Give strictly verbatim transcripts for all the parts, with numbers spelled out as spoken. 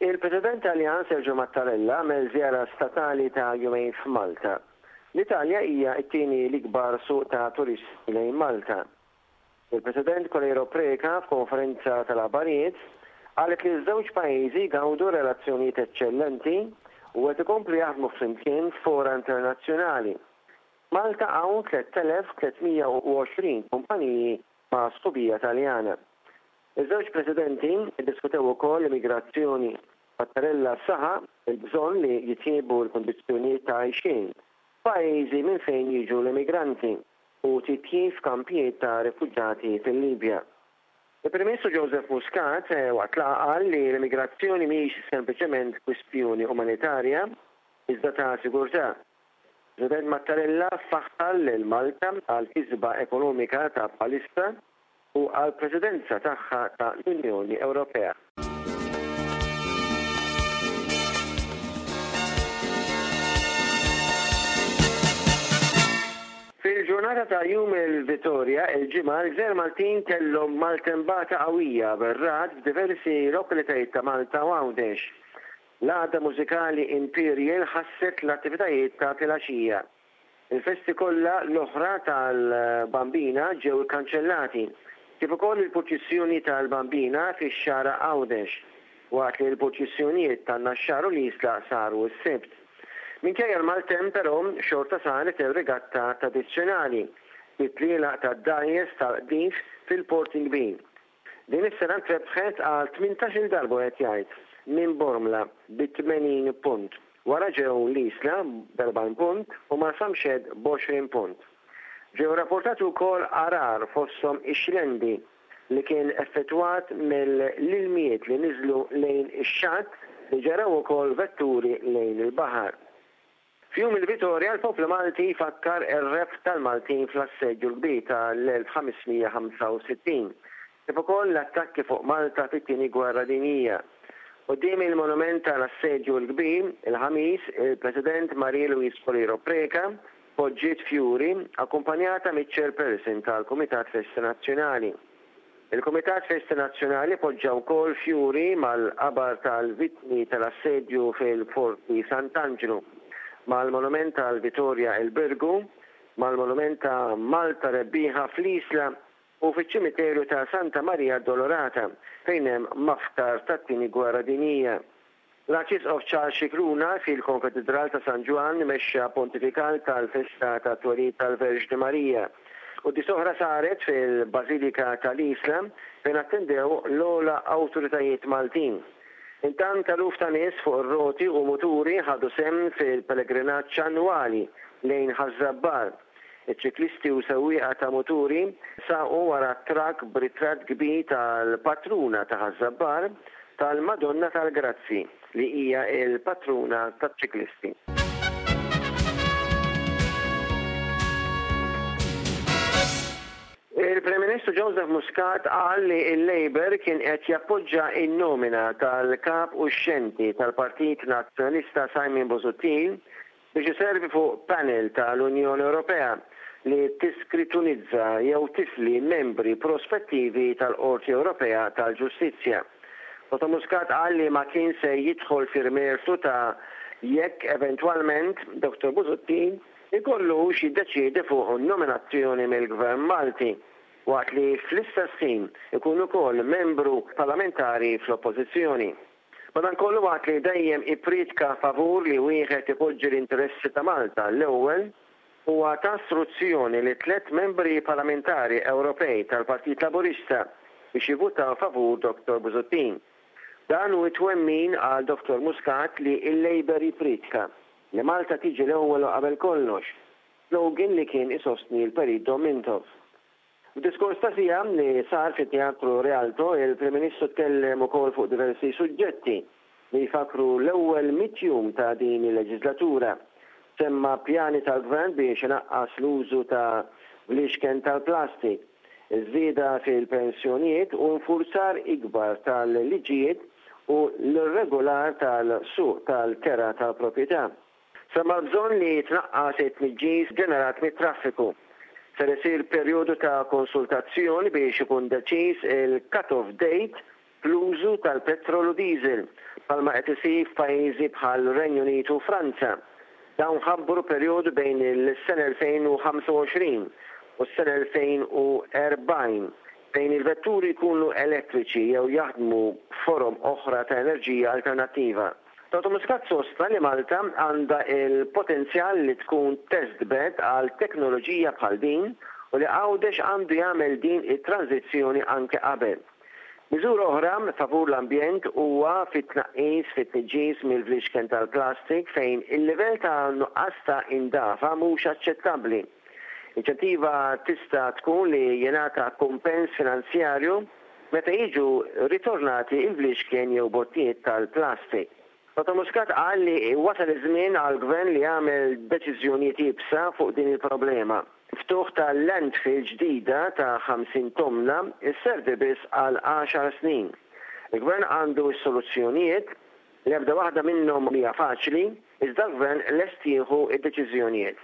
Il-President Taljan Sergio Mattarella għamel żjara statali ta' jumejn f'Malta. L-Italja hija t-tieni l-ikbar suq ta' turisti lejn Malta. Il-President Coleiro Preca f'konferenza tal-aħbarijiet qalet li ż-żewġ pajjiżi gawdu relazzjonijiet eċċellenti u qed ikomplu jaħdmu flimkien f'fora internazzjonali. Malta hawn tliet elef tliet mija u għoxrin kumpaniji ma' sħubija Taljana. Iż-żewġ presidenti ddiskutew ukoll l-immigrazzjoni. Mattarella saħaq il-bżonn li jitjiebu l-kundizzjonijiet ta' għajxien f'pajjiżi minn fejn jiġu l-immigranti u titjib f'kampijiet ta' rifuġġati fil-Libja. Il-Prim Ministru Joseph Muscat waqt laqgħa qal li l-immigrazzjoni mhix sempliċement kwistjoni umanitarja iżda ta' sigurtà. President Mattarella faħħar lil Malta għal kisba ekonomika ta' bħalissa u għal presidenza tagħha ta' l-Unjoni Ewropea. Fil-ġurnata ta' Jum il-Vitorja, il-Ġimgħa, l-Gżejjer Maltin kellhom maltembata qawwija bir-ragħad f'diversi lokalitajiet ta' Malta u Għawdex. L-għaqda mużikali Imperial ħasset l-attivitajiet ta' filgħaxija. Il-festi kollha l-oħra tal-Bambina ġew ikkanċellati, kif ukoll il-purċissjoni tal-Bambina fix-Xagħra Għawdex, waqt li l-purċissjonijiet tan-Naxxar u l-Isla saru s-Sibt. Minkejja l-maltemp però xorta saret ir-regatta tradizzjonali bit-tlielaq tad-dgħajjes tal-qdif fil-Port il-Kbir. Din is-sena ntrebħet għal tmintax-il darba qed jgħid minn Bormla bi tmenin punt. Wara ġew l-Isla b'erbgħin punt u Marsamxett b'għoxrin punt. Ġew rapportati wkoll għarar fosthom ix-Xlendi li kien effettwat mill-ilmijiet li niżlu lejn ix-xatt li ġaraw ukoll vetturi lejn il-baħar. F'Jum il-Vitorja l-poplu Malti jfakkar ir-rebħ tal-Maltin fl-assedju l-kbir tal-elf ħames mija ħamsa u sittin, kif ukoll l-attakki fuq Malta fit-tieni gwerra dinjija. Quddiem il-monument tal-assedju l-kbir, il-Ħamis, il-President Marie Louise Coleiro Preca poġġiet fjuri akkumpanjata miċ-chairperson tal-Kumitat Festi Nazzjonali. Il-Kumitat Festi Nazzjonali poġġa wkoll fjuri mal-qabar tal-vittmi tal-assedju fil-Forti Sant'Angelo, mal-monument tal-Vitorja il-Birgu, mal-monument ta' Malta Rebbieħa fl-Isla u fiċ-ċimiterju ta' Santa Maria Addolorata fejn hemm mafkar tat-tieni gwerra dinjija. L-Arċisqof Charles Scicluna fil-Konkatedral ta' San Ġwann mexxa pontifikal tal-festa ta' twelid tal-Verġni Marija. Quddies oħra saret fil-Bażilika tal-Isla fejn attendew l-ogħla awtoritajiet Maltin. Intant eluf ta' nies fuq ir-roti u muturi ħadu sehem fil-pellegrinaġġ annwali lejn Ħaż-Żabbar. Iċ-ċiklisti u sewwieqa ta' muturi saqu wara trakk b'ritratt kbir tal-patruna ta' Ħaż-Żabbar, tal-Madonna tal-Grazzi, li hija l-patruna taċ-ċiklisti. Il-Prim Ministru Joseph Muscat qal li l-Labour kien qed jappoġġa n-nomina tal-kap uxxenti tal-Partit Nazzjonalista Simon Busuttil biex iservi fuq panel tal-Unjoni Ewropea li tiskritunizza jew tifli membri prospettivi tal-Qorti Ewropea tal-Ġustizzja. Dottor Muscat qal li ma kien se jidħol fir-mertu ta' jekk eventwalment Dottor Busuttil ikollux jiddeċiedi fuq nominazzjoni mill-Gvern Malti, waqt li fl-istess ħin ikun ukoll membru parlamentari fl-Oppożizzjoni. Madankollu waqt li dejjem ippriedka favur li wieħed ipoġġi l-interessi ta' Malta l-ewwel, huwa ta' istruzzjoni li tliet membri parlamentari Ewropej tal-Partit Laburista biex jivvutaw favur Dottor Busuttil. Dan hu t-twemmin għal Dottor Muscat li l-Labour jippriedka li Malta tiġi l-ewwel u qabel kollox, slogan li kien isostni l-Perit Dom Mintoff. F'diskors ta' siegħa li sar fit-Teatru Rialto, il-Prim Ministru tkellem ukoll fuq diversi suġġetti li jfakru l-ewwel mitt jum ta' din il-leġislatura. Semma pjani tal-Gvern biex inaqqas l-użu ta' bliexken tal-plastik, iż-żieda fil-pensjonijiet u nfurzar ikbar tal-liġijiet u l-irregolar tal-suq tal-kera tal-proprjetà. Semma l-bżonn li jitnaqqas it-tniġġis ġenerat mit-traffiku. Ser isir perjodu ta' konsultazzjoni biex ikun deċiż il-cut-off date fl-użu tal-petrol u diesel, bħalma qed isir f'pajjiżi bħal Renju Unit u Franza. Dawn ħabbru perjodu bejn il-sena elfejn u ħamsa u għoxrin u s-sena elfejn u erbgħin fejn il-vetturi jkunu elettriċi jew jaħdmu forom oħra ta' enerġija alternattiva. Dottor Muscat sostna li Malta għandha il-potenzjal li tkun test bed għal teknoloġija bħal din u li Għawdex għandu jagħmel din it-tranzizzjoni anke qabel. Miżura oħra favur l-ambjent huwa fit-tnaqqis fit-tniġġis mill-flixken tal-plastik, fejn il-livell ta' nuqqas ta' indafa mhux aċċettabbli. Inċentiva tista' tkun li jingħata kumpens finanzjarju meta jiġu ritornati il-flixken jew bottijiet tal-plastik. Dottor Muscat qal li wasal iż-żmien għal-gvern li jagħmel deċiżjonijiet iebsa fuq din il-problema. Ftuħ ta' landfill ġdida ta' ħamsin tomna isservi biss għal għaxar snin. Il-gvern għandu s-soluzzjonijiet, l-ebda waħda minnhom hija faċli, iżda l-gvern lest jieħu id-deċiżjonijiet.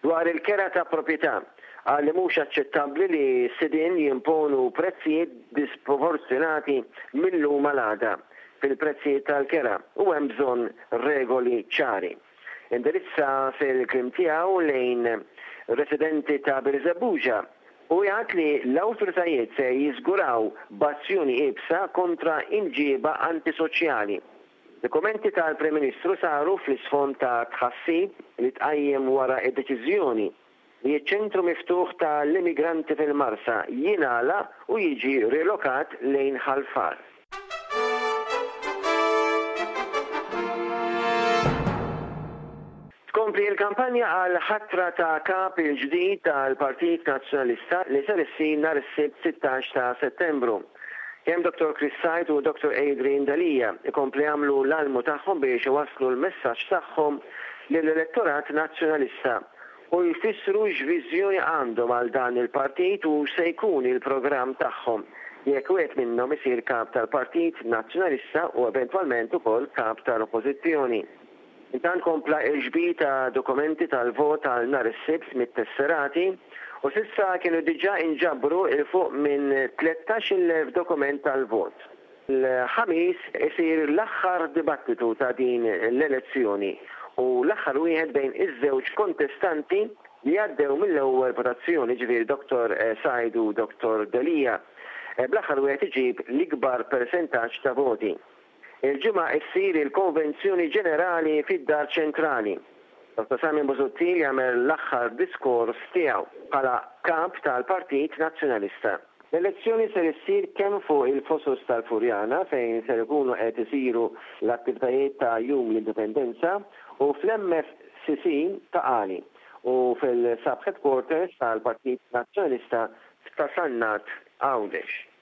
Dwar il-kera ta' proprjetà, qal li mhux aċċettabbli li sidin jimponu prezzijiet disproporzjonati mill-lum għal għada fil-prezzijiet tal-kera u hemm bżonn regoli ċari. Indirizza fil-kliem tiegħu lejn residenti ta' Birżebbuġa u jgħid li l-awtoritajiet se jiżguraw b'azzjoni iebsa kontra imġiba antisoċjali. Dokumenti tal-Prim Ministru saru fl-isfond ta' tħassib li tqajjem wara id-deċiżjoni li ċ-ċentru miftuħ tal-immigranti fil-Marsa jingħalaq u jiġi rilokat lejn Ħal Far. Tkompli il-kampanja għal ħatra ta' kap il-ġdid tal-Partit Nazzjonalista li ser issir nhar is-Sibt sittax ta' Settembru. Kemm Dottor Chris Said u Dottor Adrian Delia ikompli jagħmlu l-almu tagħhom biex iwasslu l-messaġġ tagħhom lill-elettorat nazzjonalista u jfissru x'viżjoni għandhom għal dan il-partit u se jkun il-programm tagħhom jekk wieħed minnhom isir kap tal-Partit Nazzjonalista u eventwalment ukoll kap tal-Oppożizzjoni. Intant kompla il-ġbir ta' dokumenti tal-vot għal nhar is-Sibt mit-tesserati u s'issa kienu diġà inġabru 'il fuq minn tlettax-il elf dokument tal-vot. Il-Ħamis isir l-aħħar dibattitu ta' din l-elezzjoni u l-aħħar wieħed bejn iż-żewġ kontestanti li għaddew mill-ewwel votazzjoni, ġifieri Dottor Said u Dottor Delia. Bl-aħħar wieħed iġib l-ikbar persentaġġ ta' voti. Il-Ġimgħa issir il-Konvenzjoni Ġenerali fid-Dar Ċentrali. Dottor Simon Busuttil jagħmel l-aħħar diskors tiegħu bħala kap tal-Partit Nazzjonalista. L-elezzjoni ser issir kemm fuq il-Fosos tal-Furjana, fejn ser ikunu qed isiru l-attivitajiet ta' Jum l-Indipendenza, u fl-M F C C Ta' Qali u fil-sub headquarters tal-Partit Nazzjonalista ta' Sannat, Għawdex.